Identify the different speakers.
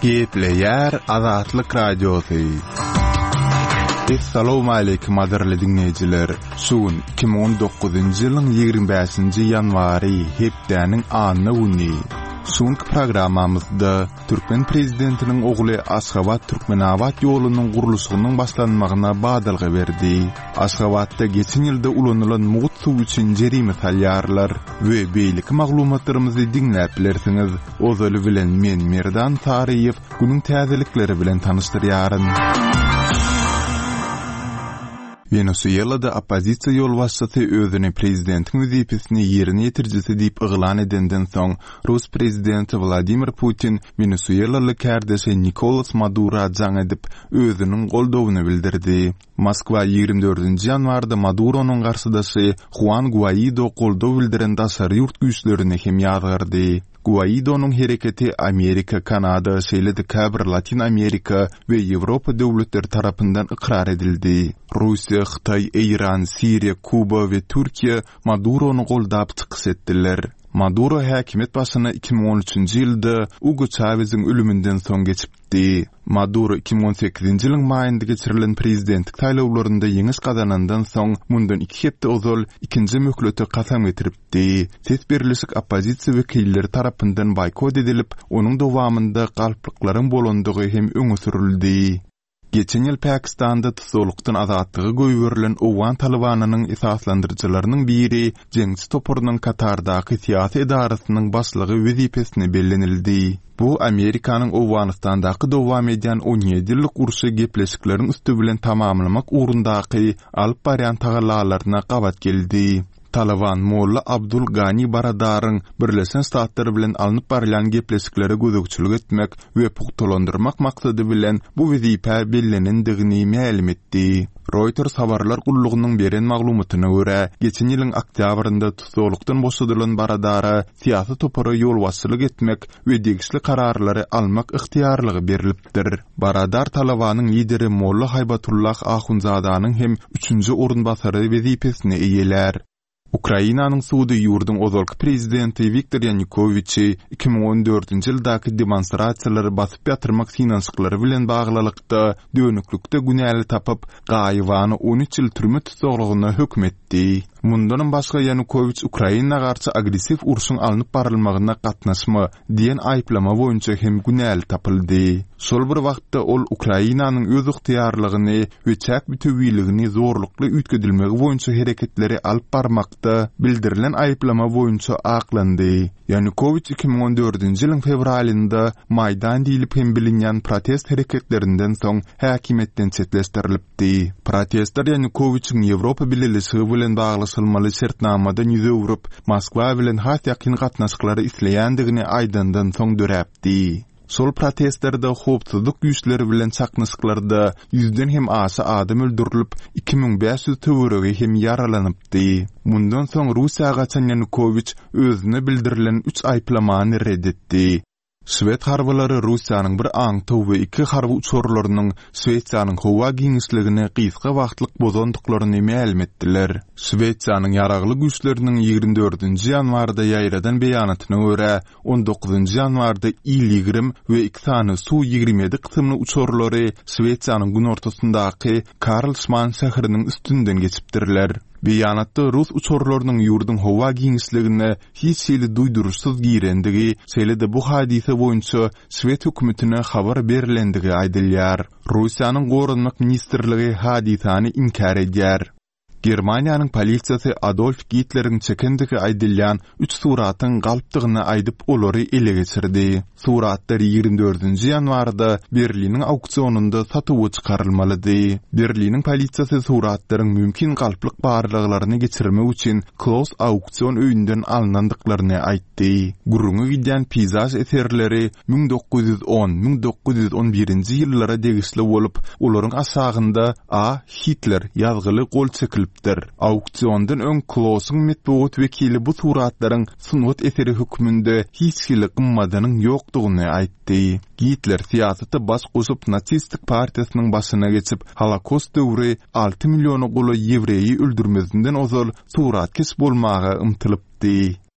Speaker 1: Gepleýär Azatlyk Radiosy. Essalawmaleýkim gadyrly diňleýjiler! Şu gün 2019-njy ýylyň 25-nji ýanwary, hepdäniň anna güni. Şu günki programmamyzda türkmen prezidentiniň ogly Aşgabat-Türkmenabat ýolunyň gurluşygynyň başlanmagyna badalga berdi. Aşgabatda geçen ýylda ulanylan mugt suw üçin jerime salýarlar we beýleki maglumatlarymyzy diňläp bilersiňiz. Ozaly bilen men Merdan Saryýew günüň täzelikleri bilen tanyşdyrýaryn. Wenesuelada oppozisiýa ýolbaşçysy özüni prezidentiň wezipesini ýerine ýetirijisi diýip yglan edenden soň, rus prezidenti Wladimir Putin wenesuelaly kärdeşi Nikolas Madura jaň edip, özüniň goldawyny bildirdi. Moskwa 24 nji ýanwarda Maduronyň garşydaşy Huan Guaido goldaw bildiren daşary ýurt güýçlerini hem ýazgardy. Guaidonyň hereketi Amerika, Kanada, şeýle-de käbir Latyn Amerika we Ýewropa döwletleri tarapyndan ykrar edildi. Russiýa, Hytaý, Eýran, Siriýa, Kuba we Türkiýe Madurony goldap çykyş etdiler. Maduro häkimiýet başyna 2013-nji ýylda Ugo Çaweziň ölüminden soň geçipdi. Di. Maduro 2018-nji ýylyň maýynda geçirilen prezidentlik saýlawlarynda ýeňiş gazanandan soň, mundan iki hepde ozal ikinji möhlete kasam getiripdi. Ses berlişik oppozisiýa wekilleri tarapyndan boýkot edilip, onuň dowamynda galplyklaryň bolandygy hem öňe sürüldi. Geçen ýyl Pakistanda tussaglykdan azatlyga goýberilen owgan Talybanynyň esaslandyryjylarynyň biri jeňçi toparynyň Katardaky syýasy edarasynyň başlygy wezipesine bellenildi. Bu Amerikanyň Owganystandaky dowam edýän 17 ýyllyk urşy gepleşikleriň üsti bilen tamamlamak ugrundaky alyp barýan tagallalaryna gabat geldi. Talyban Molla Abdul Gani Baradaryň Birleşen Ştatlar bilen alnyp barylýan gepleşiklere gözegçilik etmek we pugtalandyrmak maksady bilen bu wezipä bellenendigini mälim etdi. Reuters habarlar gullugynyň beren maglumatyna görä, geçen ýylyň oktýabrynda tussaglykdan boşadylan Baradara syýasy topara ýolbaşçylyk etmek we degişli kararlary almak ygtyýarlygy berlipdir. Baradar Talabanyň lideri Molla Haýbatullah Ahundzadanyň hem üçünji orunbasary wezipesini eýelär. Ukrainanyň sudy ýurduň ozalky prezidenti Wiktor Ýanukowiçi 2014-nji ýyldaky demonstrasiýalary basyp ýatyrmak synanyşyklary bilen baglylykda dönüklikde günäli tapyp, gaýybana 13 ýyl türme tussaglygyna höküm etdi. Mundanam başga Ýanukowiç Ukraina garşy agressiw urşuň alnyp barylmagyna gatnaşma diýen aýyplama boýunça hem günäli tapyldy. Şol bir wagtda ol Ukrainanyň özygtyýarlygyny we çäk bütewiligini zorlukly üýtgedilmegi boýunça hereketleri alyp barmakda bildirilen aýyplama boýunça aklandy. Ýanukowiç 2014-nji ýylyň fewralynda Maýdan diýlip hem bilinýän protest hereketlerinden soň häkimiýetden çetleşdirilipdi. Di. Protestler Ýanukowiçiň Ýewropa Bileleşigi bilen baglaşylmaly şertnamadan ýüz öwrüp, Moskwa bilen has ýakyn gatnaşyklary isleýändigini aýdandan soň döräpdi. Şol protestlerde howpsuzlyk güýçleri bilen çaknyşyklarda ýüzden hem aşa adam öldürilip, 2500 töweregi hem ýaralanypdy. Mundan soň Russiýa gaçan Ýanukowiç özüne bildirilen üç aýyplamany ret etdi. Şwed harbylary Russiýanyň bir aňtaw we iki harby uçarlarynyň Şwesiýanyň howa giňişligini gysga wagtlyk bozandyklaryny mälim etdiler. Şwesiýanyň Ýaragly Güýçleriniň 24-nji ýanwarda ýaýradan beýanatyna görä, 19-njy ýanwarda Il-20 we iki sany Su-27 kysymly uçarlary Şwesiýanyň günortasyndaky Karlsman şäheriniň üstünden geçipdirler. Beýanatda rus uçarlarynyň ýurduň howa giňişligine hiç hili duýduryşsyz girendigi, şeýle-de bu hadysa boýunça şwed hökümetine habar berlendigi aýdylýar. Russiýanyň Goranmak ministrligi hadysany inkär edýär. Germaniýanyň polisiýasy Adolf Gitleriň çekendigi aýdylýan üç suratyň galpdygyny aýdyp, olary ele geçirdi. Suratlar 24-nji ýanwarda Berliniň auksionynda satuwa çykarylmalydy. Berliniň polisiýasy suratlaryň mümkin galplyk barlaglaryny geçirmek üçin Kloss auksion öýünden alnandyklaryny aýtdy. Gürrüňi gidýän peýzaž eserleri 1910, 1911-nji ýyllara degişli bolup, olaryň aşagynda A. Hitler ýazgyly gol çekilipdir. Auksiondan öň Klossyň metbugat wekili bu suratlaryň sungat eseri hökmünde hiç hili gymmadynyň ýokdugyny aýtdy. Gitler syýasata baş goşup nasistik partiýasynyň başyna geçip, Holokost döwri alty milliona golaý ýewreýi öldürmezinden ozal suratkeş bolmaga ymtylypdy.